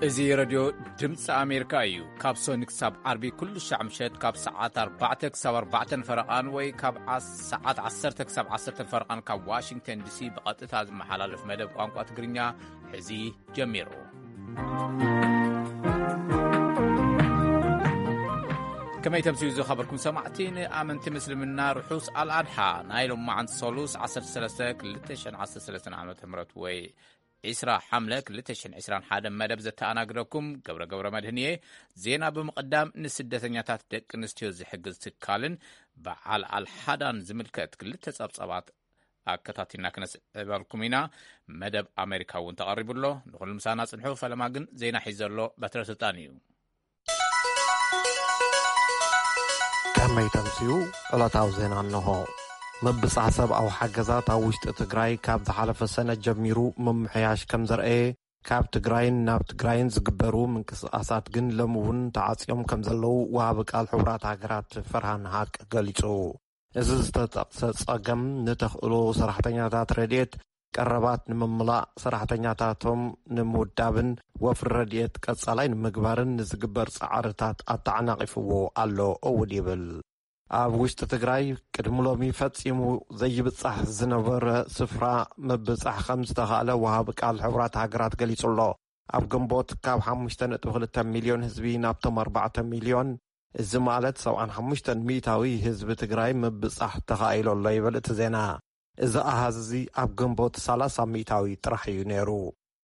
እዚ ረድዮ ድምፂ ኣሜሪካ እዩ። ካብ ሶኒ ክሳብ ዓርቢ ኩሉ ሻዕ ምሸት ካብ ሰዓት ኣርባዕተ ክሳብ ኣርባዕተን ፈረቓን ወይ ካብ ዓስ-፣ ሰዓት ዓሰርተ ክሳብ ዓሰርተን ፈረቓን ካብ ዋሽንግተን ዲሲ ብቐጥታ ዝመሓላለፍ መደብ ቋንቋ ትግርኛ ሕዚ ጀሚሩ። ከመይ ተምስዩ ዝኸበርኩም ሰማዕቲ፣ ንኣመንቲ ምስልምና ርሑስ ኣልኣድሓ። ናይ ሎማዓንቲ ሰሉስ ዓሰርተ ሰለስተ ክልተ ሽሕን ዓሰርተ ሰለስተን ዓመተ ምህረት ወይ ዒስራ ሓምለ ክልተ ሽሕን ዕስራን ሓደን መደብ ዘተኣናግደኩም ገብረ ገብረ መድህን እየ። ዜና ብምቕዳም፣ ንስደተኛታት ደቂ ኣንስትዮ ዝሕግዝ ትካልን በዓል ኣልሓዳን ዝምልከት ክልተ ጸብጻባት ኣከታቲልና ክነስዕበልኩም ኢና። መደብ ኣሜሪካ እውን ተቐሪቡ ኣሎ። ንኹሉ ምሳና ጽንሑ። ፈለማ ግን ዜና ሒዘ ኣሎ በትረ ስልጣን እዩ። ከመይ ተምስዩ? ዕለታዊ ዜና እንሆ። ምብጻሕ ሰብኣዊ ሓገዛት ኣብ ውሽጢ ትግራይ ካብ ዝሓለፈ ሰነ ጀሚሩ ምምሕያሽ ከም ዘርአየ፣ ካብ ትግራይን ናብ ትግራይን ዝግበሩ ምንቅስቓሳት ግን ሎሚ እውን ተዓጽዮም ከም ዘለዉ ወሃቢ ቃል ሕቡራት ሃገራት ፈርሃን ሃቅ ገሊጹ። እዚ ዝተጠቕሰ ጸገም ንተኽእሎ ሰራሕተኛታት ረድኤት ቀረባት ንምምላእ፣ ሰራሕተኛታቶም ንምውዳብን ወፍሪ ረድኤት ቀጻላይ ንምግባርን ንዝግበር ጻዕርታት ኣተዓናቒፍዎ ኣሎ እውን ይብል። ኣብ ውሽጢ ትግራይ ቅድሚ ሎሚ ፈጺሙ ዘይብጻሕ ዝነበረ ስፍራ ምብጻሕ ከም ዝተኻእለ ወሃቢ ቃል ሕቡራት ሃገራት ገሊጹ ኣሎ። ኣብ ግንቦት ካብ ሓሙሽተ ነጥቢ ክልተ ሚልዮን ህዝቢ ናብቶም ኣርባዕተ ሚልዮን፣ እዚ ማለት ሰብዓን ሓሙሽተን ሚእታዊ ህዝቢ ትግራይ ምብጻሕ ተኻኢሉ ኣሎ ይብል እቲ ዜና። እዚ ኣሃዝ እዚ ኣብ ግንቦት ሰላሳ ሚእታዊ ጥራሕ እዩ ነይሩ።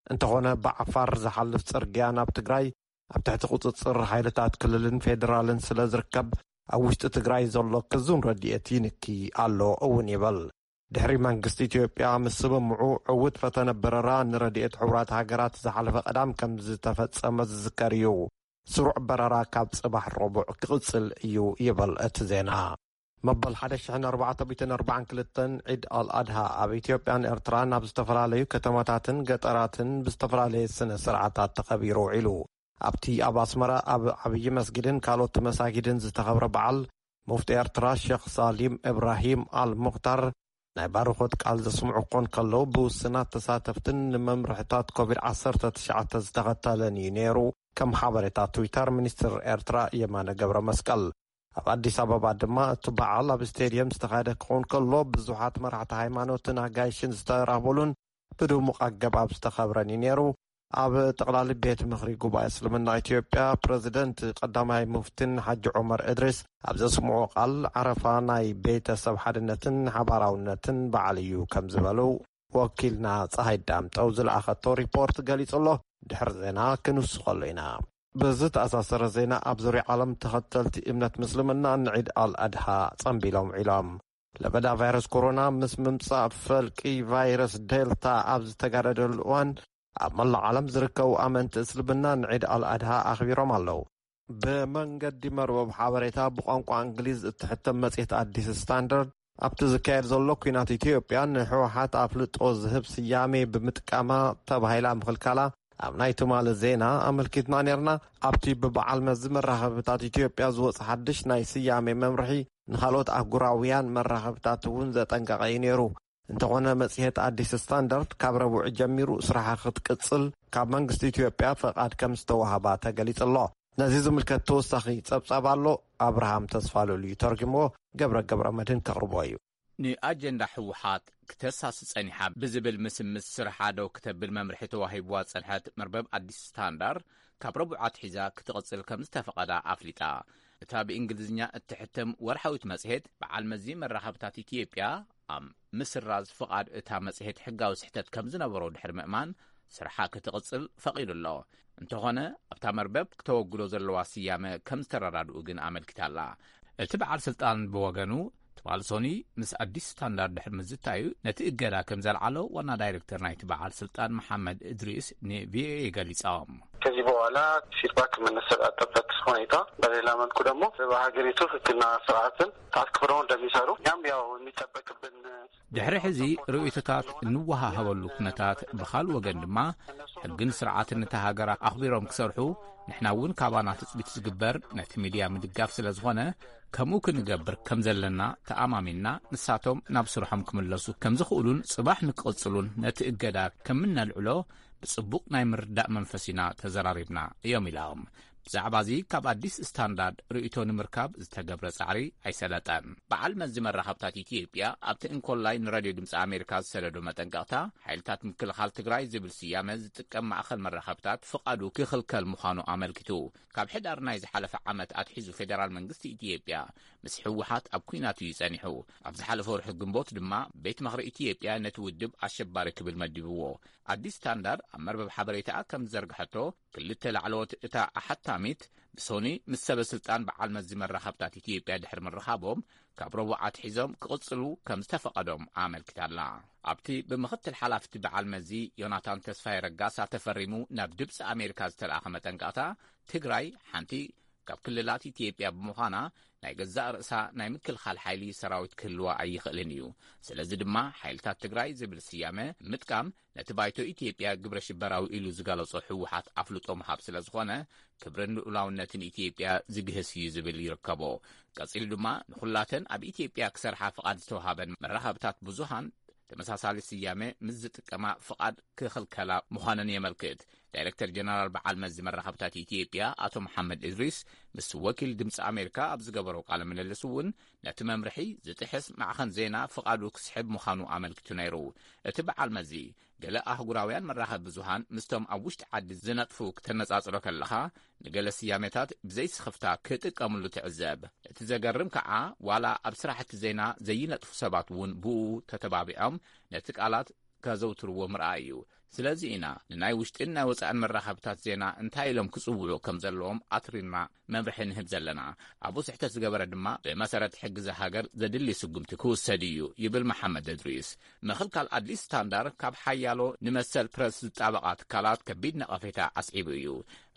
እንተኾነ ብዓፋር ዝሓልፍ ጽርግያ ናብ ትግራይ ኣብ ትሕቲ ቁጽጽር ሓይልታት ክልልን ፌደራልን ስለ ዝርከብ፣ ኣብ ውሽጢ ትግራይ ዘሎ ክዙን ረድኤት ይንኪ ኣሎ እውን ይብል። ድሕሪ መንግስቲ ኢትዮጵያ ምስምምዑ ዕዉት ፈተነ በረራ ንረድኤት ሕቡራት ሃገራት ዝሓለፈ ቀዳም ከም ዝተፈጸመ ዝዝከር እዩ። ስሩዕ በረራ ካብ ጽባሕ ረቡዕ ክቕጽል እዩ ይብል እቲ ዜና። መበል ሓደ ሽሕን ኣርባዕተ ሚእትን ኣርባዓን ክልተን ዒድ ኣልኣድሃ ኣብ ኢትዮጵያን ኤርትራን ኣብ ዝተፈላለዩ ከተማታትን ገጠራትን ብዝተፈላለየ ስነ ስርዓታት ተኸቢሩ ውዒሉ። ኣብቲ ኣብ ኣስመራ ኣብ ዓብዪ መስጊድን ካልኦት መሳጊድን ዝተኸብረ በዓል፣ ሙፍቲ ኤርትራ ሼኽ ሳሊም እብራሂም ኣል ሙኽታር ናይ ባርኾት ቃል ዘስምዑ ክኾን ከለዉ፣ ብውስናት ተሳተፍትን ንመምርሕታት ኮቪድ ዓሰርተ ትሽዓተ ዝተኸተለን እዩ ነይሩ። ከም ሓበሬታ ትዊተር ሚኒስትር ኤርትራ የማነ ገብረ መስቀል። ኣብ ኣዲስ ኣበባ ድማ እቲ በዓል ኣብ ስቴድየም ዝተኻየደ ክኸውን ከሎ፣ ብዙሓት መራሕቲ ሃይማኖትን ኣጋይሽን ዝተራኸቡሉን ብድሙቕ ኣገባብ ዝተኸብረን እዩ ነይሩ። ኣብ ጠቕላሊ ቤት ምኽሪ ጉባኤ እስልምና ኢትዮጵያ፣ ፕረዚደንት ቀዳማይ ሙፍቲን ሓጂ ዑመር እድሪስ ኣብ ዘስምዖ ቃል፣ ዓረፋ ናይ ቤተሰብ ሓድነትን ሓባራውነትን በዓል እዩ ከም ዝበሉ ወኪልና ፀሃይ ዳምጠው ዝለኣኸቶ ሪፖርት ገሊጹ ኣሎ። ድሕሪ ዜና ክንውስኸሉ ኢና። ብዝተኣሳሰረ ዜና፣ ኣብ ዙርያ ዓለም ተኸተልቲ እምነት ምስልምና ንዒድ ኣል ኣድሃ ጸንቢሎም ውዒሎም። ለበዳ ቫይረስ ኮሮና ምስ ምምጻእ ፈልቂ ቫይረስ ዴልታ ኣብ ዝተጋደደሉ እዋን፣ ኣብ መላእ ዓለም ዝርከቡ ኣመንቲ እስልምና ንዒድ ኣል ኣድሃ ኣኽቢሮም ኣለዉ። ብመንገዲ መርበብ ሓበሬታ ብቋንቋ እንግሊዝ እትሕተም መጽሔት ኣዲስ ስታንዳርድ፣ ኣብቲ ዝካየድ ዘሎ ኲናት ኢትዮጵያ ንህወሓት ኣፍልጦ ዝህብ ስያሜ ብምጥቃማ ተባሂላ ምኽልካላ ኣብ ናይ ትማሊ ዜና ኣመልኪትና ነይርና። ኣብቲ ብበዓል መዚ መራኸብታት ኢትዮጵያ ዝወጽእ ሓድሽ ናይ ስያሜ መምርሒ፣ ንኻልኦት ኣህጉራውያን መራኸብታት እውን ዘጠንቀቐ እዩ ነይሩ። እንተኾነ፣ መጽሔት ኣዲስ ስታንዳርድ ካብ ረቡዕ ጀሚሩ ስራሓ ክትቅጽል ካብ መንግስቲ ኢትዮጵያ ፈቓድ ከም ዝተዋህባ ተገሊጹ ኣሎ። ነዚ ዝምልከት ተወሳኺ ጸብጻብ ኣሎ፣ ኣብርሃም ተስፋሉል እዩ ተርጉምዎ፣ ገብረ ገብረ መድህን ከቕርቦ እዩ። ንኣጀንዳ ህወሓት ክተሳሲ ጸኒሓ ብዝብል ምስምስ ስርሓ ደው ክተብል መምርሒ ተዋሂብዋ ዝጸንሐት መርበብ ኣዲስ ስታንዳርድ፣ ካብ ረቡዕ ኣትሒዛ ክትቕጽል ከም ዝተፈቐዳ ኣፍሊጣ። እታ ብእንግሊዝኛ እትሕተም ወርሓዊት መጽሔት፣ በዓል መዚ መራኸብታት ኢትዮጵያ ኣብ ምስራዝ ፍቓድ እታ መጽሔት ሕጋዊ ስሕተት ከም ዝነበሮ ድሕሪ ምእማን፣ ስርሓ ክትቕጽል ፈቒዱ ኣሎ። እንተኾነ፣ ኣብታ መርበብ ክተወግዶ ዘለዋ ስያመ ከም ዝተረዳድኡ ግን ኣመልኪታ ኣላ። እቲ በዓል ስልጣን ብወገኑ፣ ትማሊ ሶኒ ምስ ኣዲስ ስታንዳርድ ድሕሪ ምዝታዩ፣ ነቲ እገዳ ከም ዘልዓሎ ዋና ዳይሬክተር ናይቲ በዓል ስልጣን መሓመድ እድሪስ ንቪኦኤ ገሊጾም። ከዚህ በኋላ ፊድባክ የምንሰጣጥበት ሁኔታ፣ በሌላ መልኩ ደግሞ በሀገሪቱ ህግና ስርዓትን አክብረው እንደሚሰሩ እኛም ያው የሚጠበቅብን ድሕሪ ሕዚ ርእይቶታት እንወሃሃበሉ ኩነታት፣ ብኻልእ ወገን ድማ ሕግን ስርዓትን ነታ ሃገር ኣኽቢሮም ክሰርሑ፣ ንሕና እውን ካባና ትጽቢት ዝግበር ነቲ ሚድያ ምድጋፍ ስለ ዝኾነ፣ ከምኡ ክንገብር ከም ዘለና ተኣማሚንና፣ ንሳቶም ናብ ስርሖም ክምለሱ ከም ዝኽእሉን ጽባሕ ንክቕጽሉን ነቲ እገዳ ከም እነልዕሎ ብጽቡቕ ናይ ምርዳእ መንፈስ ኢና ተዘራሪብና፣ እዮም ኢሎም። ብዛዕባ እዚ ካብ ኣዲስ ስታንዳርድ ርእይቶ ንምርካብ ዝተገብረ ጻዕሪ ኣይሰለጠን። በዓል መዚ መራኸብታት ኢትዮጵያ ኣብቲ እንኮላይ ንራድዮ ድምፂ ኣሜሪካ ዝሰደዶ መጠንቀቕታ፣ ሓይልታት ምክልኻል ትግራይ ዝብል ስያመ ዝጥቀም ማእኸል መራኸብታት ፍቓዱ ክኽልከል ምዃኑ ኣመልኪቱ። ካብ ሕዳር ናይ ዝሓለፈ ዓመት ኣትሒዙ ፌደራል መንግስቲ ኢትዮጵያ ምስ ህወሓት ኣብ ኲናት እዩ ጸኒሑ። ኣብ ዝሓለፈ ወርሒ ግንቦት ድማ ቤት ምኽሪ ኢትዮጵያ ነቲ ውድብ ኣሸባሪ ክብል መዲብዎ። ኣዲስ ስታንዳርድ ኣብ መርበብ ሓበሬታኣ ከም ዝዘርግሐቶ፣ ክልተ ላዕለዎት እታ ኣሓታሚት ብሶኒ ምስ ሰበ ስልጣን በዓል መዚ መራኸብታት ኢትዮጵያ ድሕሪ ምርኻቦም፣ ካብ ረቡዕ ኣትሒዞም ክቕጽሉ ከም ዝተፈቐዶም ኣመልኪታ'ላ። ኣብቲ ብምኽትል ሓላፍቲ በዓል መዚ ዮናታን ተስፋዬ ረጋሳ ተፈሪሙ ናብ ድምፂ ኣሜሪካ ዝተለኣኸ መጠንቀቕታ፣ ትግራይ ሓንቲ ካብ ክልላት ኢትዮጵያ ብምዃና፣ ናይ ገዛእ ርእሳ ናይ ምክልኻል ሓይሊ ሰራዊት ክህልዋ ኣይኽእልን እዩ። ስለዚ ድማ ሓይልታት ትግራይ ዝብል ስያመ ምጥቃም ነቲ ባይቶ ኢትዮጵያ ግብረ ሽበራዊ ኢሉ ዝገለጾ ህወሓት ኣፍልጦ ምሃብ ስለ ዝኾነ፣ ክብርን ልኡላውነትን ኢትዮጵያ ዝግህስ እዩ ዝብል ይርከቦ። ቀጺሉ ድማ ንኹላተን ኣብ ኢትዮጵያ ክሰርሓ ፍቓድ ዝተውሃበን መራኸብታት ብዙሃን ተመሳሳሊ ስያመ ምስ ዝጥቀማ ፍቓድ ክኽልከላ ምዃነን የመልክት። ዳይሬክተር ጀነራል በዓል መዚ መራኸብታት ኢትዮጵያ ኣቶ መሓመድ እድሪስ ምስ ወኪል ድምፂ ኣሜሪካ ኣብ ዝገበሮ ቃለ ምልልስ እውን፣ ነቲ መምርሒ ዝጥሕስ ማዕኸን ዜና ፍቓዱ ክስሕብ ምዃኑ ኣመልኪቱ ነይሩ። እቲ በዓል መዚ፣ ገለ ኣህጉራውያን መራኸቢ ብዙሃን ምስቶም ኣብ ውሽጢ ዓዲ ዝነጥፉ ክተነጻጽሮ ከለኻ፣ ንገለ ስያሜታት ብዘይስኽፍታ ክጥቀምሉ ትዕዘብ። እቲ ዘገርም ከኣ፣ ዋላ ኣብ ስራሕቲ ዜና ዘይነጥፉ ሰባት እውን ብኡ ተተባቢዖም ነቲ ቃላት ከዘውትርዎ ምርኣይ እዩ። ስለዚ ኢና ንናይ ውሽጥን ናይ ወጻእን መራኸብታት ዜና እንታይ ኢሎም ክጽውዑ ከም ዘለዎም ኣትሪርና መምርሒ ንህብ ዘለና። ኣብኡ ስሕተት ዝገበረ ድማ ብመሰረት ሕጊ እዛ ሃገር ዘድሊ ስጉምቲ ክውሰድ እዩ፣ ይብል መሓመድ እድሪስ። ምኽልካል ኣዲስ ስታንዳርድ ካብ ሓያሎ ንመሰል ፕረስ ዝጣበቓ ትካላት ከቢድ ነቐፌታ ኣስዒቡ እዩ።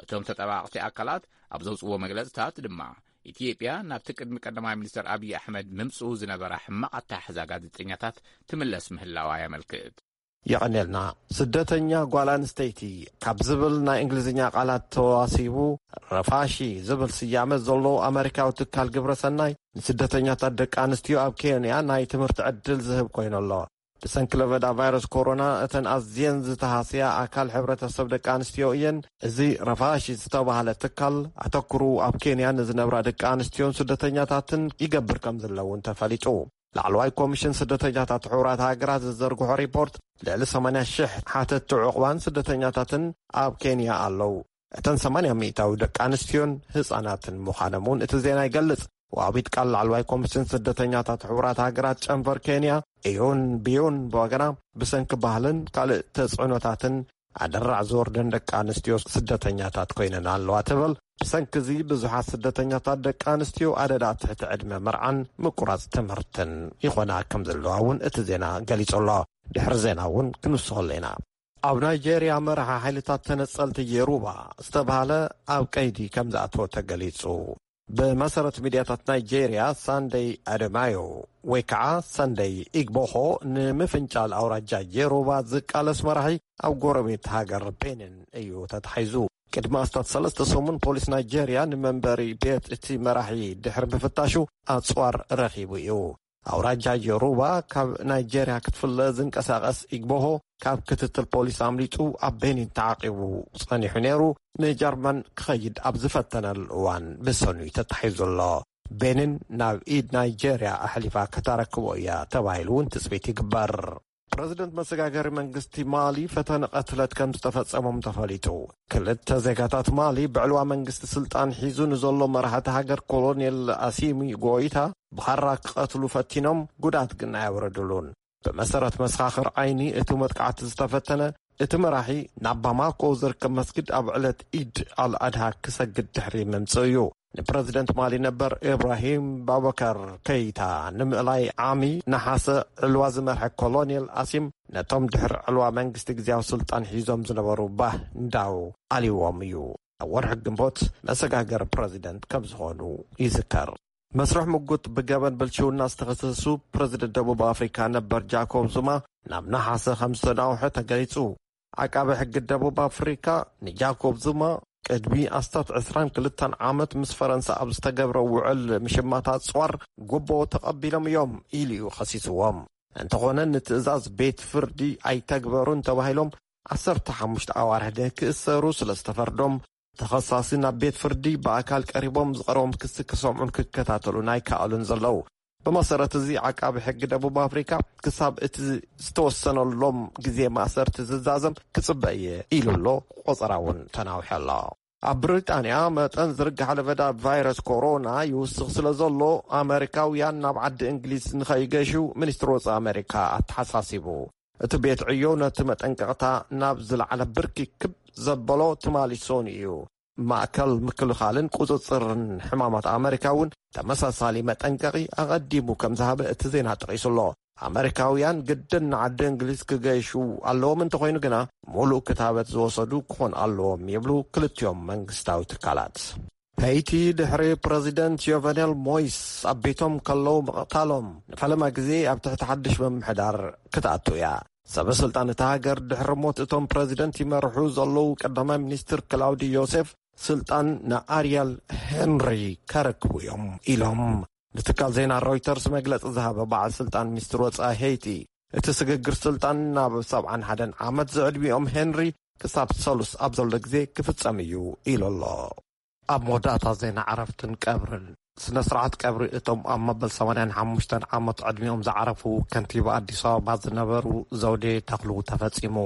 እቶም ተጠባቕቲ ኣካላት ኣብ ዘውጽዎ መግለጽታት ድማ፣ ኢትዮጵያ ናብቲ ቅድሚ ቀዳማይ ሚኒስተር ኣብይ ኣሕመድ ምምጽኡ ዝነበራ ሕማቕ ኣተሓሕዛ ጋዜጠኛታት ትምለስ ምህላዋ የመልክት። የቐንየልና። ስደተኛ ጓል ኣንስተይቲ ካብ ዝብል ናይ እንግሊዝኛ ቃላት ተዋሲቡ፣ ረፋሺ ዝብል ስያመ ዘለዎ ኣመሪካዊ ትካል ግብረ ሰናይ፣ ንስደተኛታት ደቂ ኣንስትዮ ኣብ ኬንያ ናይ ትምህርቲ ዕድል ዝህብ ኮይኑ ኣሎ። ብሰንኪ ለበዳ ቫይረስ ኮሮና፣ እተን ኣዝየን ዝተሃስያ ኣካል ሕብረተሰብ ደቂ ኣንስትዮ እየን። እዚ ረፋሺ ዝተባህለ ትካል፣ ኣተኩሩ ኣብ ኬንያ ንዝነብራ ደቂ ኣንስትዮን ስደተኛታትን ይገብር ከም ዘለውን ተፈሊጡ። ላዕለዋይ ኮሚሽን ስደተኛታት ሕቡራት ሃገራት ዝዘርግሖ ሪፖርት፣ ልዕሊ ሰማንያ ሽሕ ሓተትቲ ዑቕባን ስደተኛታትን ኣብ ኬንያ ኣለዉ። እተን ሰማንያ ሚእታዊ ደቂ ኣንስትዮን ህጻናትን ምዃኖም እውን እቲ ዜና ይገልጽ። ወሃቢት ቃል ላዕለዋይ ኮሚሽን ስደተኛታት ሕቡራት ሃገራት ጨንፈር ኬንያ፣ ኢዩን ቢዩን፣ ብወገና፣ ብሰንኪ ባህልን ካልእ ተጽዕኖታትን ኣደራዕ ዝወርደን ደቂ ኣንስትዮ ስደተኛታት ኮይነን ኣለዋ ትብል። ብሰንኪ እዚ ብዙሓት ስደተኛታት ደቂ ኣንስትዮ ኣደዳ ትሕቲ ዕድመ መርዓን ምቁራጽ ትምህርትን ይኾና ከም ዘለዋ እውን እቲ ዜና ገሊጹ ኣሎ። ድሕሪ ዜና እውን ክንውስኸሉ ኢና። ኣብ ናይጄርያ መራሒ ሓይልታት ተነጸልቲ የሩባ ዝተባህለ ኣብ ቀይዲ ከም ዝኣተወ ተገሊጹ። ብመሰረት ሚድያታት ናይጄርያ፣ ሳንደይ ኣደማዮ ወይ ከዓ ሳንደይ ኢግቦሆ፣ ንምፍንጫል ኣውራጃ የሩባ ዝቃለስ መራሒ፣ ኣብ ጎረቤት ሃገር ቤኒን እዩ ተታሒዙ። ቅድሚ ኣስታት ሰለስተ ሰሙን፣ ፖሊስ ናይጄርያ ንመንበሪ ቤት እቲ መራሒ ድሕሪ ምፍታሹ፣ ኣጽዋር ረኺቡ እዩ። ኣውራጃ ዮሩባ ካብ ናይጄርያ ክትፍለ ዝንቀሳቐስ ኢግቦሆ፣ ካብ ክትትል ፖሊስ ኣምሊጡ ኣብ ቤኒን ተዓቂቡ ጸኒሑ ነይሩ። ንጀርመን ክኸይድ ኣብ ዝፈተነሉ እዋን ብሰኑይ ተታሒዙ ኣሎ። ቤኒን ናብ ኢድ ናይጄርያ ኣሕሊፋ ከተረክቦ እያ ተባሂሉ እውን ትጽቢት ይግበር። ፕረዚደንት መሰጋገሪ መንግስቲ ማሊ ፈተነ ቀትለት ከም ዝተፈጸሞም ተፈሊጡ። ክልተ ዜጋታት ማሊ ብዕልዋ መንግስቲ ስልጣን ሒዙ ንዘሎ መራሕቲ ሃገር ኮሎኔል ኣሲሚ ጎይታ ብኻራ ክቐትሉ ፈቲኖም፣ ጉዳት ግን ኣየውረድሉን። ብመሰረት መሰኻኽር ዓይኒ፣ እቲ መጥቃዕቲ ዝተፈተነ፣ እቲ መራሒ ናብ ባማኮ ዝርከብ መስጊድ ኣብ ዕለት ኢድ ኣልኣድሃ ክሰግድ ድሕሪ ምምጽኡ እዩ። ንፕረዚደንት ማሊ ነበር ኢብራሂም ባበከር ከይታ ንምእላይ ዓሚ ነሓሰ ዕልዋ ዝመርሐ ኮሎኔል ኣሲም፣ ነቶም ድሕሪ ዕልዋ መንግስቲ ግዝያዊ ስልጣን ሒዞም ዝነበሩ ባህ እንዳው ኣልዎም እዩ። ኣብ ወርሒ ግንቦት መሰጋገሪ ፕረዚደንት ከም ዝኾኑ ይዝከር። መስርሕ ምጉት ብገበን ብልሽውና ዝተኸሰሱ ፕረዚደንት ደቡብ ኣፍሪካ ነበር ጃኮብ ዙማ ናብ ነሓሰ ከም ዝተናውሐ ተገሊጹ። ዓቃቢ ሕጊ ደቡብ ኣፍሪካ ንጃኮብ ዙማ ቅድሚ ኣስታት ዕስራን ክልተን ዓመት ምስ ፈረንሳ ኣብ ዝተገብረ ውዕል ምሽማት ኣጽዋር ጉቦ ተቐቢሎም እዮም ኢሉ እዩ ከሲስዎም። እንተኾነ፣ ንትእዛዝ ቤት ፍርዲ ኣይተግበሩን ተባሂሎም ዓሰርተ ሓሙሽተ ኣዋርሕ ክእሰሩ ስለ ዝተፈርዶም፣ ተኸሳሲ ናብ ቤት ፍርዲ ብኣካል ቀሪቦም ዝቐረቦም ክሲ ክሰምዑን ክከታተሉን ኣይከኣሉን ዘለዉ። ብመሰረት እዚ፣ ዓቃቢ ሕጊ ደቡብ ኣፍሪካ ክሳብ እቲ ዝተወሰነሎም ግዜ ማእሰርቲ ዝዛዘም ክጽበ እየ ኢሉ ኣሎ። ቆጸራ እውን ተናውሐ ኣሎ። ኣብ ብሪጣንያ፣ መጠን ዝርጋሕ ለበዳ ቫይረስ ኮሮና ይውስኽ ስለ ዘሎ፣ ኣመሪካውያን ናብ ዓዲ እንግሊዝ ንኸይገሹ ሚኒስትሪ ወጻኢ ኣመሪካ ኣተሓሳሲቡ። እቲ ቤት ዕዮ ነቲ መጠንቀቕታ ናብ ዝለዓለ ብርኪ ክብ ዘበሎ ትማሊ ሰኑይ እዩ። ማእከል ምክልኻልን ቁጽጽርን ሕማማት ኣመሪካ እውን ተመሳሳሊ መጠንቀቒ ኣቐዲሙ ከም ዝሃበ እቲ ዜና ጠቒሱ ኣሎ። ኣመሪካውያን ግድን ንዓዲ እንግሊዝ ክገይሹ ኣለዎም፣ እንተኾይኑ ግና፣ ሙሉእ ክታበት ዝወሰዱ ክኾን ኣለዎም ይብሉ ክልቲኦም መንግስታዊ ትካላት። ሄይቲ፣ ድሕሪ ፕረዚደንት ዮቨኔል ሞይስ ኣብ ቤቶም ከለዉ ምቕታሎም፣ ንፈለማ ግዜ ኣብ ትሕቲ ሓድሽ ምምሕዳር ክትኣቱ እያ። ሰበ ስልጣን እታ ሃገር፣ ድሕሪ ሞት እቶም ፕረዚደንት ይመርሑ ዘለዉ ቀዳማይ ሚኒስትር ክላውዲ ዮሴፍ፣ ስልጣን ንኣርያል ሄንሪ ከረክቡ እዮም ኢሎም ንትካል ዜና ሮይተርስ መግለጺ ዝሃበ በዓል ስልጣን ሚኒስትር ወጻኢ ሄይቲ። እቲ ስግግር ስልጣን ናብ ሰብዓን ሓደን ዓመት ዝዕድሚኦም ሄንሪ ክሳብ ሰሉስ ኣብ ዘሎ ግዜ ክፍጸም እዩ ኢሉ ኣሎ። ኣብ መወዳእታ ዜና ዕረፍትን ቀብርን፣ ስነ ስርዓት ቀብሪ እቶም ኣብ መበል ሰማንያን ሓሙሽተን ዓመት ዕድሚኦም ዝዓረፉ ከንቲባ ኣዲስ ኣበባ ዝነበሩ ዘውዴ ተኽሉ ተፈጺሙ።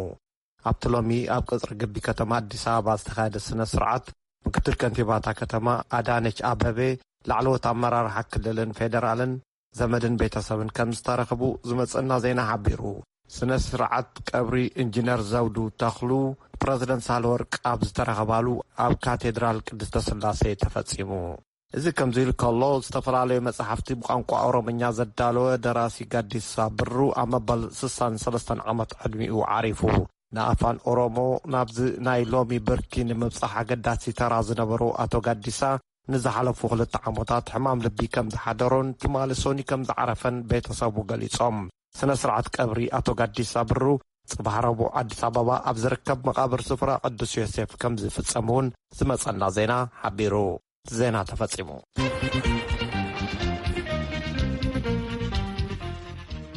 ኣብቲ ሎሚ ኣብ ቅጽሪ ግቢ ከተማ ኣዲስ ኣበባ ዝተኻየደ ስነ ስርዓት፣ ምክትል ከንቲባታ ከተማ ኣዳነች ኣበቤ፣ ላዕለዎት ኣመራርሓ ክልልን ፌደራልን፣ ዘመድን ቤተሰብን ከም ዝተረኽቡ ዝመጸና ዜና ሓቢሩ። ስነ ስርዓት ቀብሪ ኢንጂነር ዘውዱ ተኽሉ፣ ፕረዚደንት ሳህለወርቅ ኣብ ዝተረኸባሉ ኣብ ካቴድራል ቅድስተ ስላሴ ተፈጺሙ። እዚ ከምዚ ኢሉ ከሎ፣ ዝተፈላለዩ መጻሕፍቲ ብቋንቋ ኦሮምኛ ዘዳለወ ደራሲ ጋዲሳ ብሩ ኣብ መበል ስሳን ሰለስተን ዓመት ዕድሚኡ ዓሪፉ። ንኣፋን ኦሮሞ ናብዚ ናይ ሎሚ ብርኪ ንምብጻሕ ኣገዳሲ ተራ ዝነበሩ ኣቶ ጋዲሳ፣ ንዝሓለፉ ክልተ ዓመታት ሕማም ልቢ ከም ዝሓደሮን ትማሊ ሶኒ ከም ዝዓረፈን ቤተሰቡ ገሊጾም። ስነ ስርዓት ቀብሪ ኣቶ ጋዲሳ ብሩ፣ ጽባሕ ረቡዕ ኣዲስ ኣበባ ኣብ ዝርከብ መቓብር ስፍራ ቅዱስ ዮሴፍ ከም ዝፍጸም እውን ዝመጸና ዜና ሓቢሩ። ዜና ተፈጺሙ።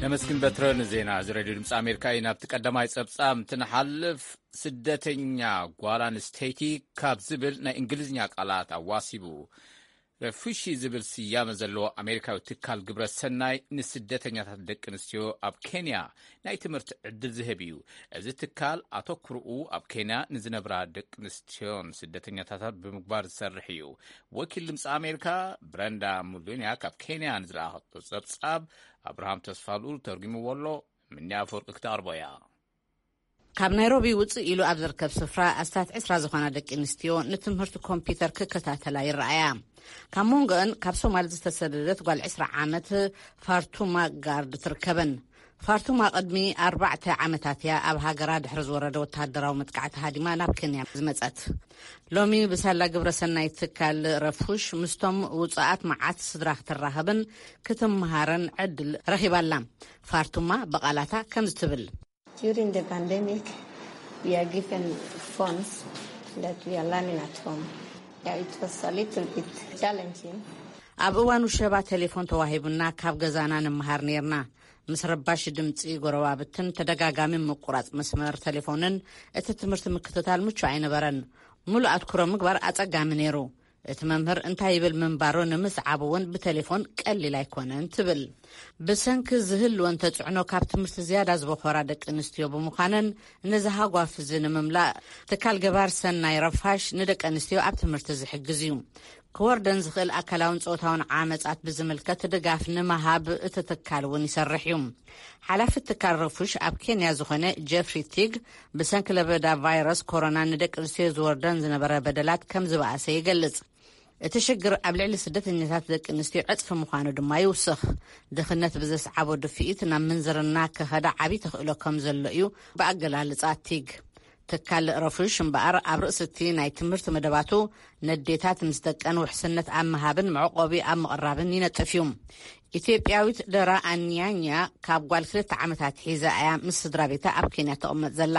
ነመስግን በትረ ንዜና እዚ ሬድዮ ድምፂ ኣሜሪካ እዩ። ናብቲ ቀዳማይ ጸብጻብ እንትንሓልፍ፣ ስደተኛ ጓል ኣንስተይቲ ካብ ዝብል ናይ እንግሊዝኛ ቃላት ኣዋሲቡ ረፉሺ ዝብል ስያመ ዘለዎ ኣሜሪካዊ ትካል ግብረ ሰናይ፣ ንስደተኛታት ደቂ ኣንስትዮ ኣብ ኬንያ ናይ ትምህርቲ ዕድል ዝህብ እዩ። እዚ ትካል ኣተኩርኡ ኣብ ኬንያ ንዝነብራ ደቂ ኣንስትዮን ስደተኛታታት ብምግባር ዝሰርሕ እዩ። ወኪል ድምፂ ኣሜሪካ ብረንዳ ሙሉንያ ካብ ኬንያ ንዝለኣኸቶ ጸብጻብ፣ ኣብርሃም ተስፋልኡል ተርጉምዎ ኣሎ። ምንያ ኣፈወርቂ ክተቕርቦ እያ። ካብ ናይሮቢ ውፅእ ኢሉ ኣብ ዝርከብ ስፍራ ኣስታት ዕስራ ዝኾና ደቂ ኣንስትዮ ንትምህርቲ ኮምፒውተር ክከታተላ ይረኣያ። ካብ መንጎአን ካብ ሶማል ዝተሰደደት ጓል ዕስራ ዓመት ፋርቱማ ጋርድ ትርከበን። ፋርቱማ ቅድሚ ኣርባዕተ ዓመታት እያ ኣብ ሃገራ ድሕሪ ዝወረደ ወተሃደራዊ መጥቃዕቲ ሃዲማ ናብ ኬንያ ዝመጸት። ሎሚ ብሳላ ግብረ ሰናይ ትካል ረፉሽ ምስቶም ውጹኣት መዓት ስድራ ክትራኸብን ክትመሃረን ዕድል ረኺባ ኣላ። ፋርቱማ ብቓላታ ከምዚ ትብል። During the pandemic, we are given phones that we are learning at home. Yeah, it was a little bit challenging. ኣብ እዋን ውሸባ ቴሌፎን ተዋሂቡና ካብ ገዛና ንመሃር ነይርና። ምስ ረባሺ ድምፂ ጎረባብትን ተደጋጋሚ ምቁራፅ መስመር ቴሌፎንን እቲ ትምህርቲ ምክትታል ምቹ ኣይነበረን። ሙሉእ ኣትኩሮ ምግባር ኣፀጋሚ ነይሩ። እቲ መምህር እንታይ ይብል ምንባሩ ንምስዓብ እውን ብቴሌፎን ቀሊል ኣይኮነን ትብል። ብሰንኪ ዝህልወን ተፅዕኖ ካብ ትምህርቲ ዝያዳ ዝበኾራ ደቂ ኣንስትዮ ብምዃነን፣ ነዚ ሃጓፍ እዚ ንምምላእ ትካል ገባር ሰናይ ረፋሽ ንደቂ ኣንስትዮ ኣብ ትምህርቲ ዝሕግዝ እዩ። ክወርደን ዝኽእል ኣካላውን ጾታውን ዓመጻት ብዝምልከት ድጋፍ ንምሃብ እቲ ትካል እውን ይሰርሕ እዩ። ሓላፊ ትካል ረፉሽ ኣብ ኬንያ ዝኾነ ጀፍሪ ቲግ፣ ብሰንኪ ለበዳ ቫይረስ ኮሮና ንደቂ ኣንስትዮ ዝወርደን ዝነበረ በደላት ከም ዝበኣሰ ይገልጽ። እቲ ሽግር ኣብ ልዕሊ ስደተኛታት ደቂ ኣንስትዮ ዕጽፊ ምዃኑ ድማ ይውስኽ። ድኽነት ብዘስዓቦ ድፍኢት ናብ ምንዝርና ክኸዳ ዓቢ ተኽእሎ ከም ዘሎ እዩ ብኣገላልጻ ቲግ። ትካል ረፉሽ እምበኣር ኣብ ርእሲ እቲ ናይ ትምህርቲ መደባቱ ነዴታት ምስ ደቀን ውሕስነት ኣብ ምሃብን መዕቆቢ ኣብ ምቕራብን ይነጥፍ እዩ። ኢትዮጵያዊት ደራ ኣንያኛ ካብ ጓል ክልተ ዓመታት ሒዛ እያ ምስ ስድራ ቤታ ኣብ ኬንያ ተቕመጥ ዘላ።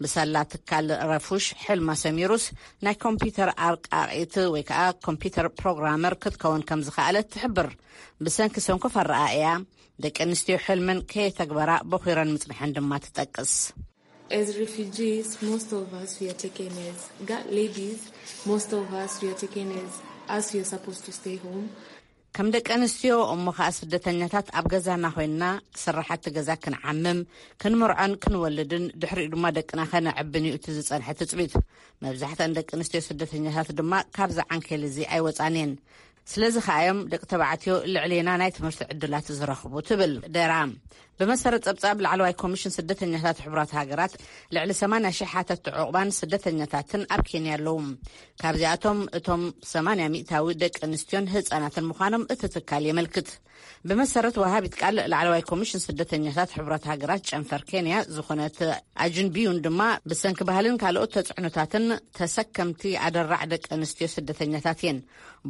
ብሳላ ትካል ረፉሽ ሕልማ ሰሚሩስ ናይ ኮምፒውተር ኣርቃቂት ወይ ከዓ ኮምፒውተር ፕሮግራመር ክትከውን ከም ዝኸኣለት ትሕብር። ብሰንኪ ሰንኮፍ ኣረኣእያ ደቂ ኣንስትዮ ሕልመን ከየተግበራ በኺረን ምጽንሐን ድማ ትጠቅስ። As refugees, most of us were taken as ga- ladies, most of us were taken as us were supposed to stay home. ከም ደቂ ኣንስትዮ እሞ ከዓ ስደተኛታት ኣብ ገዛና ኮይንና ስራሓቲ ገዛ ክንዓምም፣ ክንምርዖን ክንወልድን ድሕሪኡ ድማ ደቅና ከነዕብን እዩ እቲ ዝፀንሐ ትፅቢት። መብዛሕትአን ደቂ ኣንስትዮ ስደተኛታት ድማ ካብዚ ዓንኬል እዚ ኣይወፃን እየን። ስለዚ ከኣ እዮም ደቂ ተባዕትዮ ልዕሌና ናይ ትምህርቲ ዕድላት ዝረኽቡ ትብል ደራ። ብመሰረት ጸብጻብ ላዕለዋይ ኮሚሽን ስደተኛታት ሕቡራት ሃገራት፣ ልዕሊ ሰማንያ ሺሕ ሓተትቲ ዕቑባን ስደተኛታትን ኣብ ኬንያ ኣለዉ። ካብዚኣቶም እቶም ሰማንያ ሚእታዊ ደቂ ኣንስትዮን ህጻናትን ምዃኖም እቲ ትካል የመልክት። ብመሰረት ወሃቢት ቃል ላዕለዋይ ኮሚሽን ስደተኛታት ሕቡራት ሃገራት ጨንፈር ኬንያ ዝኾነት ኣጅን ቢዩን ድማ፣ ብሰንኪ ባህልን ካልኦት ተጽዕኖታትን ተሰከምቲ ኣደራዕ ደቂ ኣንስትዮ ስደተኛታት እየን።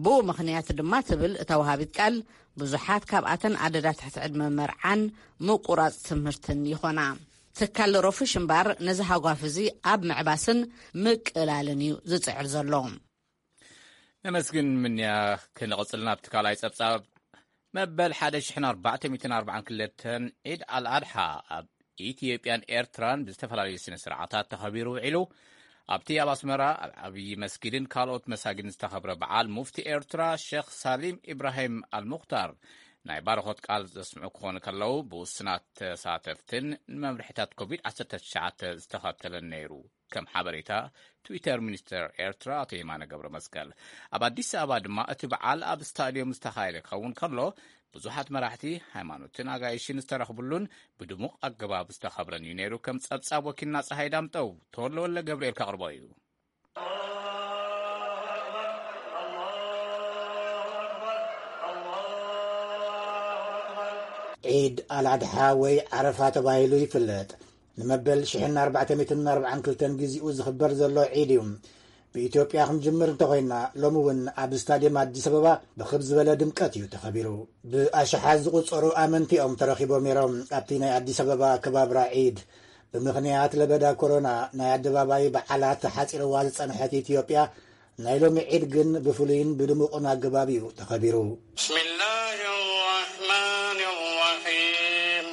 ብኡ ምኽንያት ድማ ትብል እታ ወሃቢት ቃል፣ ብዙሓት ካብኣተን ኣደዳ ትሕቲ ዕድመ መርዓን ምቁራጽ ትምህርትን ይኾና። ትካል ሮፍሽ እምባር ነዚ ሃጓፍ እዚ ኣብ ምዕባስን ምቅላልን እዩ ዝጽዕር ዘሎ። ነመስግን ምንያ። ክንቕጽል ናብቲ ካልኣይ ጸብጻብ። መበል ሓደ ሽሕን ኣርባዕተ ሚእትን ኣርባዓን ክልተን ዒድ ኣልኣድሓ ኣብ ኢትዮጵያን ኤርትራን ብዝተፈላለዩ ስነ ስርዓታት ተኸቢሩ ውዒሉ። ኣብቲ ኣብ ኣስመራ ኣብ ዓብዪ መስጊድን ካልኦት መሳጊድን ዝተኸብረ በዓል፣ ሙፍቲ ኤርትራ ሸኽ ሳሊም ኢብራሂም ኣልሙኽታር ናይ ባረኾት ቃል ዘስምዑ ክኾኑ ከለዉ፣ ብውስናት ተሳተፍትን ንመምርሒታት ኮቪድ ዓሰርተ ትሽዓተ ዝተኸተለን ነይሩ። ከም ሓበሬታ ትዊተር ሚኒስተር ኤርትራ ኣቶ የማነ ገብረ መስቀል፣ ኣብ ኣዲስ ኣበባ ድማ እቲ በዓል ኣብ ስታድዮም ዝተኻየደ ክኸውን ከሎ፣ ብዙሓት መራሕቲ ሃይማኖትን ኣጋይሽን ዝተረኽብሉን ብድሙቕ ኣገባብ ዝተኸብረን እዩ ነይሩ። ከም ጸብጻብ ወኪልና ጸሃይ ዳምጠው፣ ተወልደ ወልደ ገብርኤል ከቕርቦ እዩ። ዒድ ኣልኣድሓ ወይ ዓረፋ ተባሂሉ ይፍለጥ። ንመበል ሽሕን ኣርባዕተ ሚእትን ኣርባዓን ክልተን ግዚኡ ዝኽበር ዘሎ ዒድ እዩ። ብኢትዮጵያ ክንጅምር እንተኾይና፣ ሎሚ እውን ኣብ ስታድየም ኣዲስ ኣበባ ብኽብ ዝበለ ድምቀት እዩ ተኸቢሩ። ብኣሽሓት ዝቑጸሩ ኣመንቲ እዮም ተረኺቦም ነይሮም ኣብቲ ናይ ኣዲስ ኣበባ ኣከባብራ ዒድ። ብምኽንያት ለበዳ ኮሮና ናይ ኣደባባይ በዓላት ሓጺርዋ ዝጸንሐት ኢትዮጵያ፣ ናይ ሎሚ ዒድ ግን ብፍሉይን ብድሙቕን ኣገባብ እዩ ተኸቢሩ። بسم الله الرحمن الرحيم.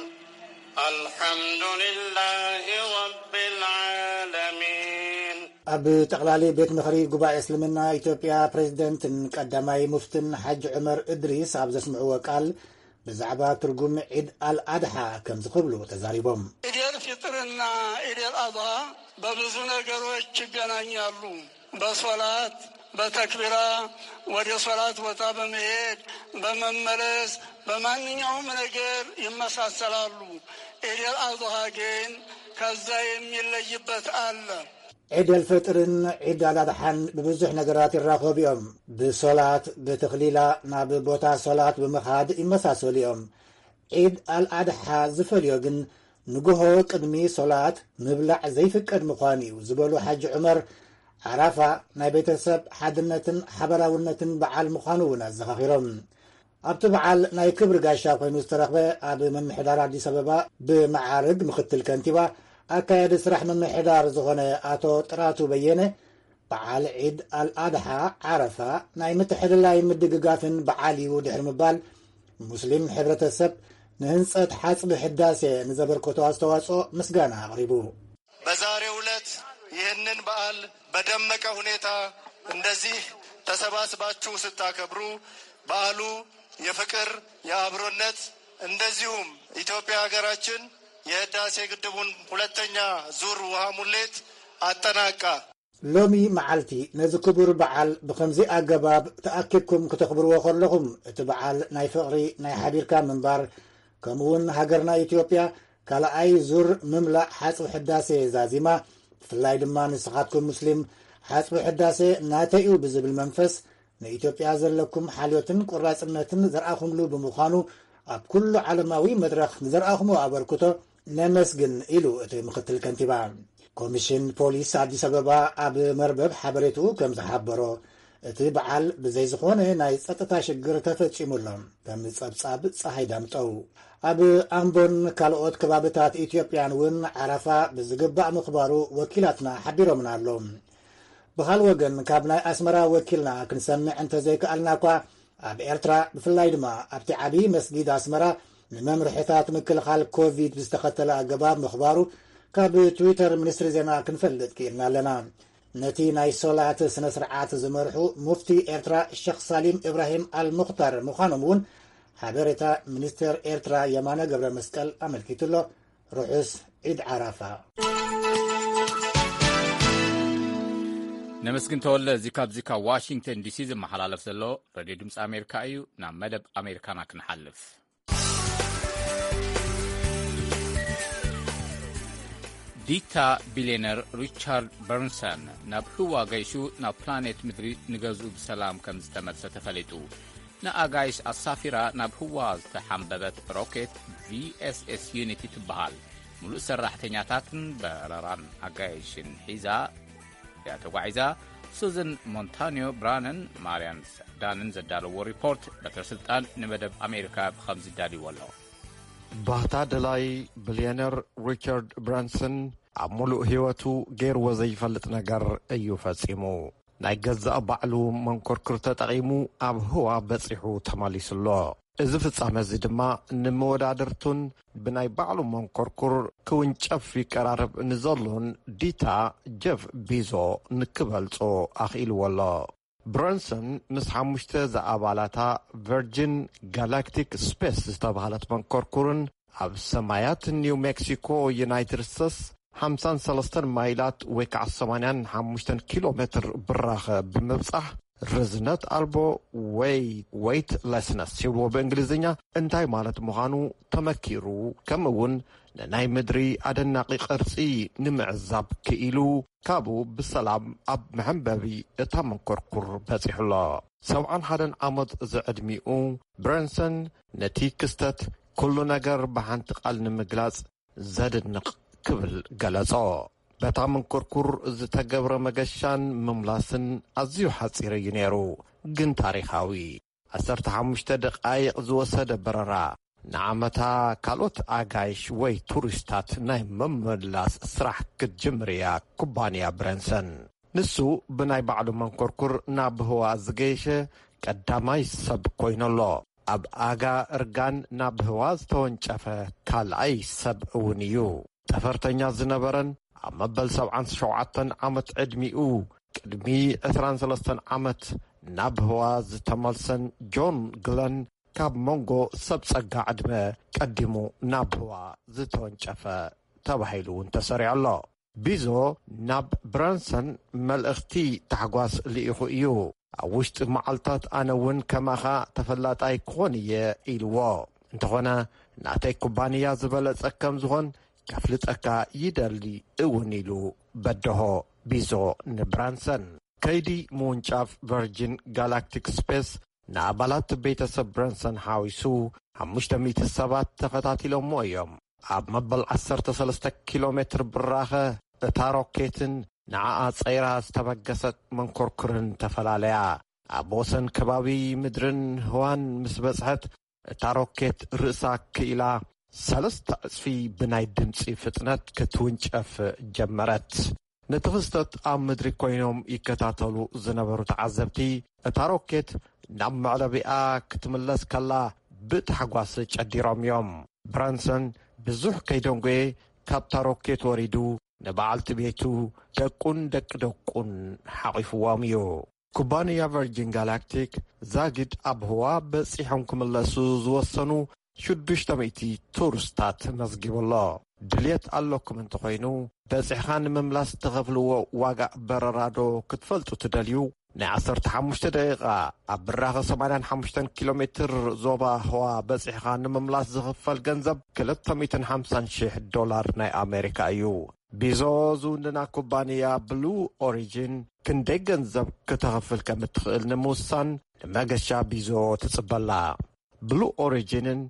الحمد لله رب العالمين. ኣብ ጠቕላሊ ቤት ምኽሪ ጉባኤ እስልምና ኢትዮጵያ ፕሬዝደንትን ቀዳማይ ሙፍትን ሓጅ ዑመር እድሪስ ኣብ ዘስምዕዎ ቃል፣ ብዛዕባ ትርጉም ዒድ ኣልኣድሓ ከምዚ ክብሉ ተዛሪቦም። ኢዴል ፊጥርና ኢዴል ኣድሃ በብዙ ነገሮች ይገናኛሉ። በሶላት፣ በተክቢራ፣ ወደ ሶላት ቦታ በመሄድ፣ በመመለስ፣ በማንኛውም ነገር ይመሳሰላሉ። ኢዴል አድሃ ግን ከዛ የሚለይበት አለ። ዒድ ኣልፈጥርን ዒድ ኣልኣድሓን ብብዙሕ ነገራት ይራኸቡ እዮም። ብሶላት፣ ብተኽሊላ፣ ናብ ቦታ ሶላት ብምኻድ ይመሳሰሉ እዮም። ዒድ ኣልኣድሓ ዝፈልዮ ግን ንግሆ ቅድሚ ሶላት ምብላዕ ዘይፍቀድ ምዃኑ እዩ ዝበሉ ሓጂ ዑመር፣ ዓራፋ ናይ ቤተሰብ ሓድነትን ሓበራውነትን በዓል ምዃኑ እውን ኣዘኻኺሮም። ኣብቲ በዓል ናይ ክብሪ ጋሻ ኮይኑ ዝተረኽበ ኣብ ምምሕዳር ኣዲስ ኣበባ ብመዓርግ ምኽትል ከንቲባ ኣካያዲ ስራሕ ምምሕዳር ዝኾነ ኣቶ ጥራቱ በየነ፣ በዓል ዒድ ኣልኣድሓ ዓረፋ ናይ ምትሕልላይ ምድግጋፍን በዓል እዩ ድሕሪ ምባል፣ ሙስሊም ሕብረተሰብ ንህንጸት ሓጽቢ ሕዳሴ ንዘበርከቶ ኣስተዋጽኦ ምስጋና ኣቕሪቡ። በዛሬው ዕለት ይህንን በዓል በደመቀ ሁኔታ እንደዚህ ተሰባስባችሁ ስታከብሩ በዓሉ የፍቅር፣ የአብሮነት እንደዚሁም ኢትዮጵያ ሀገራችን የህዳሴ ግድቡን ሁለተኛ ዙር ውሃ ሙሌት አጠናቃ። ሎሚ መዓልቲ ነዚ ክቡር በዓል ብኸምዚ ኣገባብ ተኣኪብኩም ክተኽብርዎ ከለኹም፣ እቲ በዓል ናይ ፍቕሪ፣ ናይ ሓቢርካ ምንባር፣ ከምኡውን ሃገርና ኢትዮጵያ ካልኣይ ዙር ምምላእ ሓጽቢ ሕዳሴ ዛዚማ፣ ብፍላይ ድማ ንስኻትኩም ሙስሊም፣ ሓጽቢ ሕዳሴ ናተይ እዩ ብዝብል መንፈስ፣ ንኢትዮጵያ ዘለኩም ሓልዮትን ቆራጽነትን ዘርኣኹምሉ ብምዃኑ፣ ኣብ ኩሉ ዓለማዊ መድረኽ ንዘርኣኹሞ ኣበርክቶ ነመስግን ኢሉ እቲ ምኽትል ከንቲባ። ኮሚሽን ፖሊስ ኣዲስ ኣበባ ኣብ መርበብ ሓበሬትኡ ከም ዝሓበሮ፣ እቲ በዓል ብዘይ ዝኾነ ናይ ጸጥታ ሽግር ተፈጺሙ ኣሎ። ከም ጸብጻብ ጸሃይ ዳምጠው። ኣብ ኣምቦን ካልኦት ከባብታት ኢትዮጵያን እውን ዓረፋ ብዝግባእ ምኽባሩ ወኪላትና ሓቢሮምና ኣሎ። ብኻል ወገን፣ ካብ ናይ ኣስመራ ወኪልና ክንሰምዕ እንተዘይከኣልና እኳ፣ ኣብ ኤርትራ ብፍላይ ድማ ኣብቲ ዓብዪ መስጊድ ኣስመራ ንመምርሕታት ምክልኻል ኮቪድ ብዝተኸተለ ኣገባብ ምኽባሩ ካብ ትዊተር ሚኒስትሪ ዜና ክንፈልጥ ክኢልና ኣለና። ነቲ ናይ ሶላት ስነ ስርዓት ዝመርሑ ሙፍቲ ኤርትራ ሸኽ ሳሊም ኢብራሂም ኣልሙኽታር ምዃኖም እውን ሓበሬታ ሚኒስትር ኤርትራ የማነ ገብረ መስቀል ኣመልኪቱ ኣሎ። ርሑስ ዒድ ዓራፋ። ነመስግን ተወለ። እዚ ካብዚ ካብ ዋሽንግተን ዲሲ ዝመሓላለፍ ዘሎ ሬድዮ ድምፂ ኣሜሪካ እዩ። ናብ መደብ ኣሜሪካና ክንሓልፍ። ዲታ ቢልዮነር ሪቻርድ በርንሰን ናብ ህዋ ገይሹ ናብ ፕላኔት ምድሪ ንገዝኡ ብሰላም ከም ዝተመልሰ ተፈሊጡ። ንኣጋይሽ ኣሳፊራ ናብ ህዋ ዝተሓንበበት ሮኬት ቪ ኤስ ኤስ ዩኒቲ ትበሃል። ሙሉእ ሰራሕተኛታትን በረራን ኣጋይሽን ሒዛ እያ ተጓዒዛ። ሱዝን ሞንታኒዮ ብራነን ማርያን ዳንን ዘዳለዎ ሪፖርት በትረ ስልጣን ንመደብ ኣሜሪካ ብኸምዚ ዳልዎ ኣሎ። ባህታ ደላይ ቢልዮነር ሪቻርድ ብራንሰን ኣብ ሙሉእ ህይወቱ ገይርዎ ዘይፈልጥ ነገር እዩ ፈጺሙ። ናይ ገዛእ ባዕሉ መንኮርኩር ተጠቒሙ ኣብ ህዋ በጺሑ ተመሊሱ ኣሎ። እዚ ፍጻመ እዚ ድማ ንመወዳድርቱን ብናይ ባዕሉ መንኮርኩር ክውንጨፍ ይቀራረብ ንዘሎን ዲታ ጀፍ ቢዞ ንክበልጾ ኣኽኢልዎ ኣሎ። ብሮንሰን ምስ ሓሙሽተ ዝኣባላታ ቨርጂን ጋላክቲክ ስፔስ ዝተባህለት መንኮርኩርን ኣብ ሰማያት ኒው ሜክሲኮ ዩናይትድ ስቴትስ ሓምሳን ሰለስተን ማይላት ወይ ከዓ ሰማንያን ሓሙሽተን ኪሎ ሜትር ብራኸ ብምብጻሕ ርዝነት ኣልቦ ወይ ዌይትለስነስ ይብልዎ ብእንግሊዝኛ እንታይ ማለት ምዃኑ ተመኪሩ፣ ከምኡ እውን ንናይ ምድሪ ኣደናቂ ቅርጺ ንምዕዛብ ክኢሉ ካብኡ ብሰላም ኣብ መሐንበቢ እታ መንኮርኩር በጺሑ ኣሎ። ሰብዓን ሓደን ዓመት ዝዕድሚኡ ብረንሰን ነቲ ክስተት ኩሉ ነገር ብሓንቲ ቃል ንምግላጽ ዘድንቕ ክብል ገለጾ። በታ መንኮርኩር ዝተገብረ መገሻን ምምላስን ኣዝዩ ሓጺር እዩ ነይሩ፣ ግን ታሪኻዊ። ዓሰርተ ሓሙሽተ ደቃይቕ ዝወሰደ በረራ፣ ንዓመታ ካልኦት ኣጋይሽ ወይ ቱሪስታት ናይ ምምላስ ስራሕ ክትጅምር እያ ኩባንያ ብረንሰን። ንሱ ብናይ ባዕሉ መንኮርኩር ናብ ህዋ ዝገየሸ ቀዳማይ ሰብ ኮይኑ ኣሎ። ኣብ ኣጋ እርጋን ናብ ህዋ ዝተወንጨፈ ካልኣይ ሰብ እውን እዩ። ጠፈርተኛ ዝነበረን ኣብ መበል ሰብዓን ሸውዓተን ዓመት ዕድሚኡ ቅድሚ ዕስራን ሰለስተን ዓመት ናብ ህዋ ዝተመልሰን ጆን ግለን ካብ መንጎ ሰብ ጸጋ ዕድመ ቀዲሙ ናብ ህዋ ዝተወንጨፈ ተባሂሉ እውን ተሰሪዑ ኣሎ። ቢዞ ናብ ብራንሰን መልእኽቲ ታሕጓስ ልኢኹ እዩ። ኣብ ውሽጢ መዓልታት ኣነ እውን ከማኻ ተፈላጣይ ክኾን እየ ኢልዎ። እንተኾነ ናተይ ኩባንያ ዝበለጸ ከም ዝኾን ከፍልጠካ ይደሊ እውን ኢሉ በደሆ ቢዞ ንብራንሰን። ከይዲ ምውንጫፍ ቨርጂን ጋላክቲክ ስፔስ ንኣባላት ቤተሰብ ብረንሰን ሓዊሱ ሓሙሽተ ሚእቲ ሰባት ተኸታቲሎሞ እዮም። ኣብ መበል ዓሰርተ ሰለስተ ኪሎ ሜትር ብራኸ እታ ሮኬትን ንዓኣ ጸይራ ዝተበገሰት መንኮርኩርን ተፈላለያ። ኣብ ወሰን ከባቢ ምድርን ህዋን ምስ በጽሐት እታ ሮኬት ርእሳ ክኢላ ሰለስተ ዕጽፊ ብናይ ድምጺ ፍጥነት ክትውንጨፍ ጀመረት። ነቲ ክስተት ኣብ ምድሪ ኮይኖም ይከታተሉ ዝነበሩ ተዓዘብቲ እታ ሮኬት ናብ መዕለቢኣ ክትምለስ ከላ ብታሕጓስ ጨዲሮም እዮም። ብራንሰን ብዙሕ ከይደንጎየ ካብታ ሮኬት ወሪዱ ንበዓልቲ ቤቱ ደቁን ደቂ ደቁን ሓቒፍዎም እዩ። ኩባንያ ቨርጂን ጋላክቲክ ዛጊድ ኣብ ህዋ በጺሖም ክምለሱ ዝወሰኑ ሽዱሽተ ሚእቲ ቱሪስታት መዝጊቡ ኣሎ። ድልየት ኣለኩም እንተኾይኑ በጺሕኻ ንምምላስ ትኸፍልዎ ዋጋ በረራዶ ክትፈልጡ ትደልዩ? ናይ ዓሰርተ ሓሙሽተ ደቂቓ ኣብ ብራኸ ሰማንያን ሓሙሽተን ኪሎ ሜትር ዞባ ህዋ በጺሕኻ ንምምላስ ዝኽፈል ገንዘብ ክልተ ሚእትን ሓምሳን ሺሕ ዶላር ናይ ኣሜሪካ እዩ። ቢዞ ዝውንና ኩባንያ ብሉ ኦሪጂን ክንደይ ገንዘብ ክተኽፍል ከም እትኽእል ንምውሳን ንመገሻ ቢዞ ትጽበላ። ብሉ ኦሪጂንን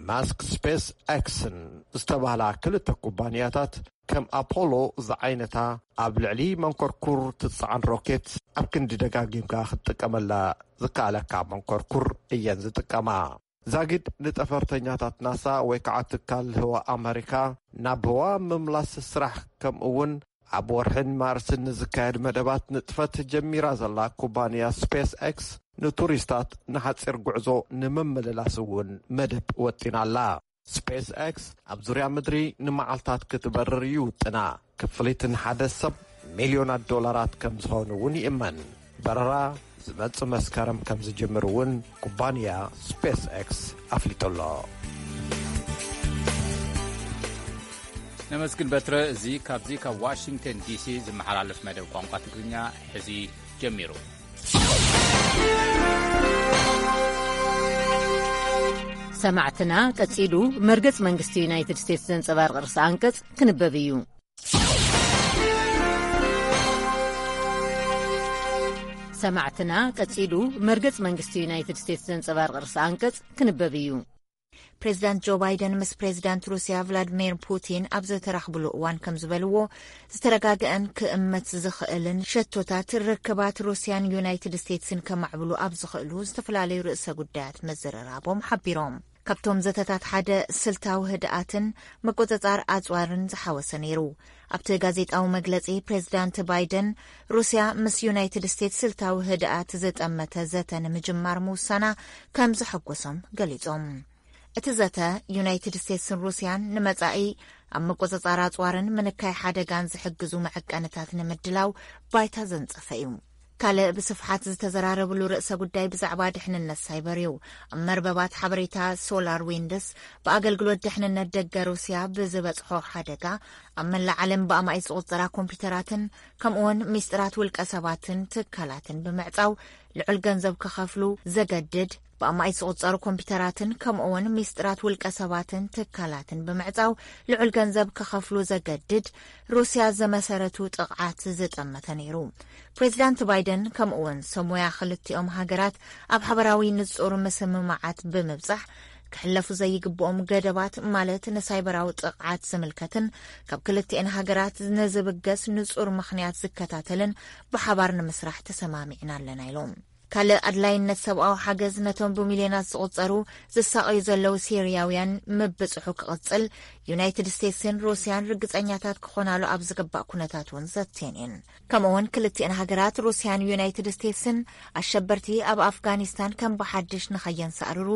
ማስክ ስፔስ ኤክስን ዝተባህላ ክልተ ኩባንያታት ከም ኣፖሎ ዝዓይነታ ኣብ ልዕሊ መንኮርኩር ትጸዓን ሮኬት ኣብ ክንዲ ደጋጊምካ ክትጥቀመላ ዝከኣለካ መንኮርኩር እየን ዝጥቀማ። ዛጊድ ንጠፈርተኛታት ናሳ ወይ ከዓ ትካል ህዋ ኣመሪካ ናብ ህዋ ምምላስ ስራሕ፣ ከምኡ እውን ኣብ ወርሕን ማርስን ንዝካየድ መደባት ንጥፈት ጀሚራ ዘላ ኩባንያ ስፔስ ኤክስ፣ ንቱሪስታት ንሓፂር ጉዕዞ ንምምልላስ እውን መደብ ወጢና ኣላ። ስፔስ ኤክስ ኣብ ዙርያ ምድሪ ንመዓልታት ክትበርር ይውጥና። ክፍሊት ንሓደ ሰብ ሚልዮናት ዶላራት ከም ዝኾኑ እውን ይእመን። በረራ ዝመጽእ መስከረም ከም ዝጅምር እውን ኩባንያ ስፔስ ኤክስ ኣፍሊጡ ኣሎ። ነመስግን በትረ። እዚ ካብዚ ካብ ዋሽንግተን ዲሲ ዝመሓላለፍ መደብ ቋንቋ ትግርኛ ሕዚ ጀሚሩ። ሰማዕትና፣ ቀጺሉ መርገጽ መንግስቲ ዩናይትድ ስቴትስ ዘንጸባርቕ ርእሲ ኣንቀጽ ክንበብ እዩ። ሰማዕትና፣ ቀጺሉ መርገጽ መንግስቲ ዩናይትድ ስቴትስ ዘንጸባርቕ ርእሲ ኣንቀጽ ክንበብ እዩ። ፕሬዚዳንት ጆ ባይደን ምስ ፕሬዚዳንት ሩስያ ቭላድሚር ፑቲን ኣብ ዝተራኽብሉ እዋን ከም ዝበልዎ፣ ዝተረጋግአን ክእመት ዝኽእልን ሸቶታት ርክባት ሩስያን ዩናይትድ ስቴትስን ከማዕብሉ ኣብ ዝኽእሉ ዝተፈላለዩ ርእሰ ጉዳያት መዘረራቦም ሓቢሮም። ካብቶም ዘተታት ሓደ ስልታዊ ህድኣትን ምቁጽጻር ኣጽዋርን ዝሓወሰ ነይሩ። ኣብቲ ጋዜጣዊ መግለጺ፣ ፕሬዚዳንት ባይደን ሩስያ ምስ ዩናይትድ ስቴትስ ስልታዊ ህድኣት ዝጠመተ ዘተ ንምጅማር ምውሳና ከም ዘሐጎሶም ገሊጾም። እቲ ዘተ፣ ዩናይትድ ስቴትስን ሩስያን ንመጻኢ ኣብ ምቁጽጻር ኣጽዋርን ምንካይ ሓደጋን ዝሕግዙ መዐቀንታት ንምድላው ባይታ ዘንጸፈ እዩ። ካልእ ብስፍሓት ዝተዘራረብሉ ርእሰ ጉዳይ ብዛዕባ ድሕንነት ሳይበር እዩ። ኣብ መርበባት ሓበሬታ ሶላር ዊንድስ፣ ብኣገልግሎት ድሕንነት ደገ ሩስያ ብዝበጽሖ ሓደጋ ኣብ መላእ ዓለም ብኣማኢት ዝቑጸራ ኮምፒውተራትን ከምኡውን ሚስጥራት ውልቀ ሰባትን ትካላትን ብምዕጻው ልዑል ገንዘብ ክኸፍሉ ዘገድድ፣ ብኣማኢት ዝቑጸሩ ኮምፒውተራትን ከምኡውን ሚስጥራት ውልቀ ሰባትን ትካላትን ብምዕጻው ልዑል ገንዘብ ክኸፍሉ ዘገድድ፣ ሩስያ ዘመሰረቱ ጥቕዓት ዝጠመተ ነይሩ። ፕሬዚዳንት ባይደን ከምኡውን ሰብ ሞያ ክልቲኦም ሃገራት ኣብ ሓበራዊ ንጹር ምስምማዓት ብምብጻሕ፣ ክሕለፉ ዘይግብኦም ገደባት፣ ማለት ንሳይበራዊ ጥቕዓት ዝምልከትን ካብ ክልቲኤን ሃገራት ንዝብገስ ንጹር ምኽንያት ዝከታተልን ብሓባር ንምስራሕ ተሰማሚዕና ኣለና ኢሎም። ካልእ ኣድላይነት ሰብኣዊ ሓገዝ ነቶም ብሚልዮናት ዝቑጸሩ ዝሳቐዩ ዘለዉ ሲርያውያን ምብጽሑ ክቕጽል፣ ዩናይትድ ስቴትስን ሩስያን ርግጸኛታት ክኾናሉ ኣብ ዝግባእ ኩነታት እውን ዘትየን እየን። ከምኡውን ክልቲኤን ሃገራት፣ ሩስያን ዩናይትድ ስቴትስን፣ ኣሸበርቲ ኣብ ኣፍጋኒስታን ከም ብሓድሽ ንኸየንሳእርሩ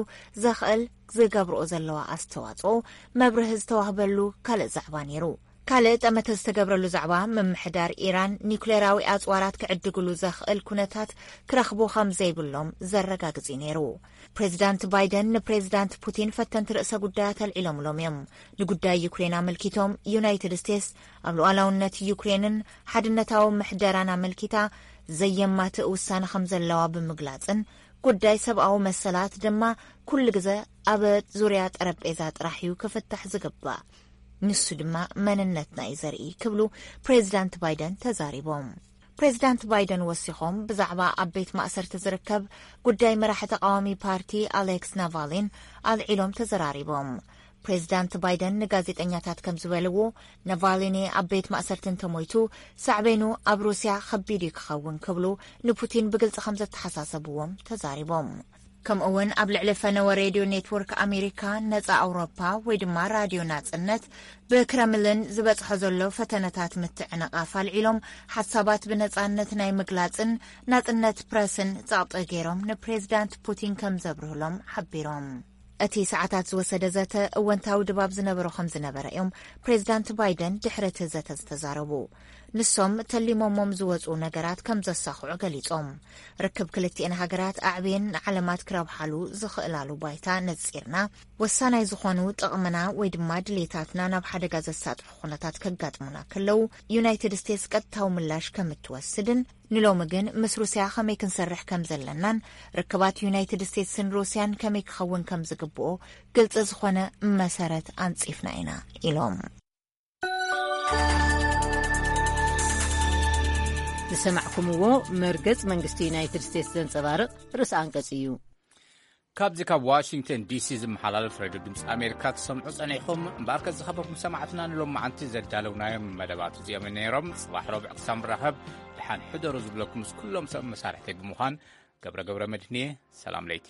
ዘኽእል ዝገብርኦ ዘለዋ ኣስተዋጽኦ መብርሂ ዝተዋህበሉ ካልእ ዛዕባ ነይሩ። ካልእ ጠመተ ዝተገብረሉ ዛዕባ፣ ምምሕዳር ኢራን ኒኩሌራዊ ኣጽዋራት ክዕድግሉ ዘኽእል ኩነታት ክረኽቡ ከም ዘይብሎም ዘረጋግጽ እዩ ነይሩ። ፕሬዚዳንት ባይደን ንፕሬዚዳንት ፑቲን ፈተንቲ ርእሰ ጉዳያት ኣልዒሎምሎም እዮም። ንጉዳይ ዩክሬን ኣመልኪቶም፣ ዩናይትድ ስቴትስ ኣብ ሉዓላውነት ዩክሬንን ሓድነታዊ ምሕደራን ኣመልኪታ ዘየማትእ ውሳነ ከም ዘለዋ ብምግላጽን፣ ጉዳይ ሰብኣዊ መሰላት ድማ ኩሉ ግዘ ኣብ ዙርያ ጠረጴዛ ጥራሕ እዩ ክፍታሕ ዝግባእ፣ ንሱ ድማ መንነትና እዩ ዘርኢ ክብሉ ፕሬዚዳንት ባይደን ተዛሪቦም። ፕሬዚዳንት ባይደን ወሲኾም ብዛዕባ ኣብ ቤት ማእሰርቲ ዝርከብ ጉዳይ መራሒ ተቃዋሚ ፓርቲ ኣሌክስ ናቫሊን ኣልዒሎም ተዘራሪቦም። ፕሬዚዳንት ባይደን ንጋዜጠኛታት ከም ዝበልዎ፣ ናቫሊኒ ኣብ ቤት ማእሰርቲ እንተሞይቱ፣ ሳዕቤኑ ኣብ ሩስያ ከቢድ እዩ ክኸውን ክብሉ ንፑቲን ብግልጺ ከም ዘተሓሳሰብዎም ተዛሪቦም። ከምኡ እውን ኣብ ልዕሊ ፈነወ ሬድዮ ኔትወርክ ኣሜሪካ፣ ነጻ ኣውሮፓ ወይ ድማ ራድዮ ናጽነት ብክረምልን ዝበጽሖ ዘሎ ፈተነታት ምትዕንቓፍ ኣልዒሎም፣ ሓሳባት ብነጻነት ናይ ምግላጽን ናጽነት ፕረስን ጸቕጢ ገይሮም ንፕሬዚዳንት ፑቲን ከም ዘብርህሎም ሓቢሮም። እቲ ሰዓታት ዝወሰደ ዘተ እወንታዊ ድባብ ዝነበሮ ከም ዝነበረ እዮም ፕሬዚዳንት ባይደን ድሕሪ እቲ ዘተ ዝተዛረቡ። ንሶም ተሊሞሞም ዝወጹ ነገራት ከም ዘሳኽዑ ገሊጾም። ርክብ ክልቲኤን ሃገራት ኣዕብየን ንዓለማት ክረብሓሉ ዝኽእላሉ ባይታ ነጺርና፣ ወሳናይ ዝኾኑ ጥቕምና ወይ ድማ ድሌታትና ናብ ሓደጋ ዘሳጥሑ ኩነታት ከጋጥሙና ከለዉ፣ ዩናይትድ ስቴትስ ቀጥታዊ ምላሽ ከም እትወስድን፣ ንሎሚ ግን ምስ ሩስያ ከመይ ክንሰርሕ ከም ዘለናን ርክባት ዩናይትድ ስቴትስን ሩስያን ከመይ ክኸውን ከም ዝግብኦ ግልጺ ዝኾነ መሰረት ኣንጺፍና ኢና ኢሎም። ዝሰማዕኩምዎ መርገጽ መንግስቲ ዩናይትድ ስቴትስ ዘንጸባርቕ ርእሲ ኣንቀጽ እዩ። ካብዚ ካብ ዋሽንግተን ዲሲ ዝመሓላለፍ ሬድዮ ድምፂ ኣሜሪካ ትሰምዑ ጸኒሕኹም። እምበኣርከ ዝኸበርኩም ሰማዕትና፣ ንሎማዓንቲ ዘዳለውናዮም መደባት እዚኦም ነይሮም። ጽባሕ ረቡዕ ክሳብ ንራኸብ፣ ደሓን ሕደሩ ዝብለኩም ምስ ኩሎም ሰብ መሳርሕተይ ብምዃን፣ ገብረ ገብረ መድህንየ፣ ሰላም ለይቲ።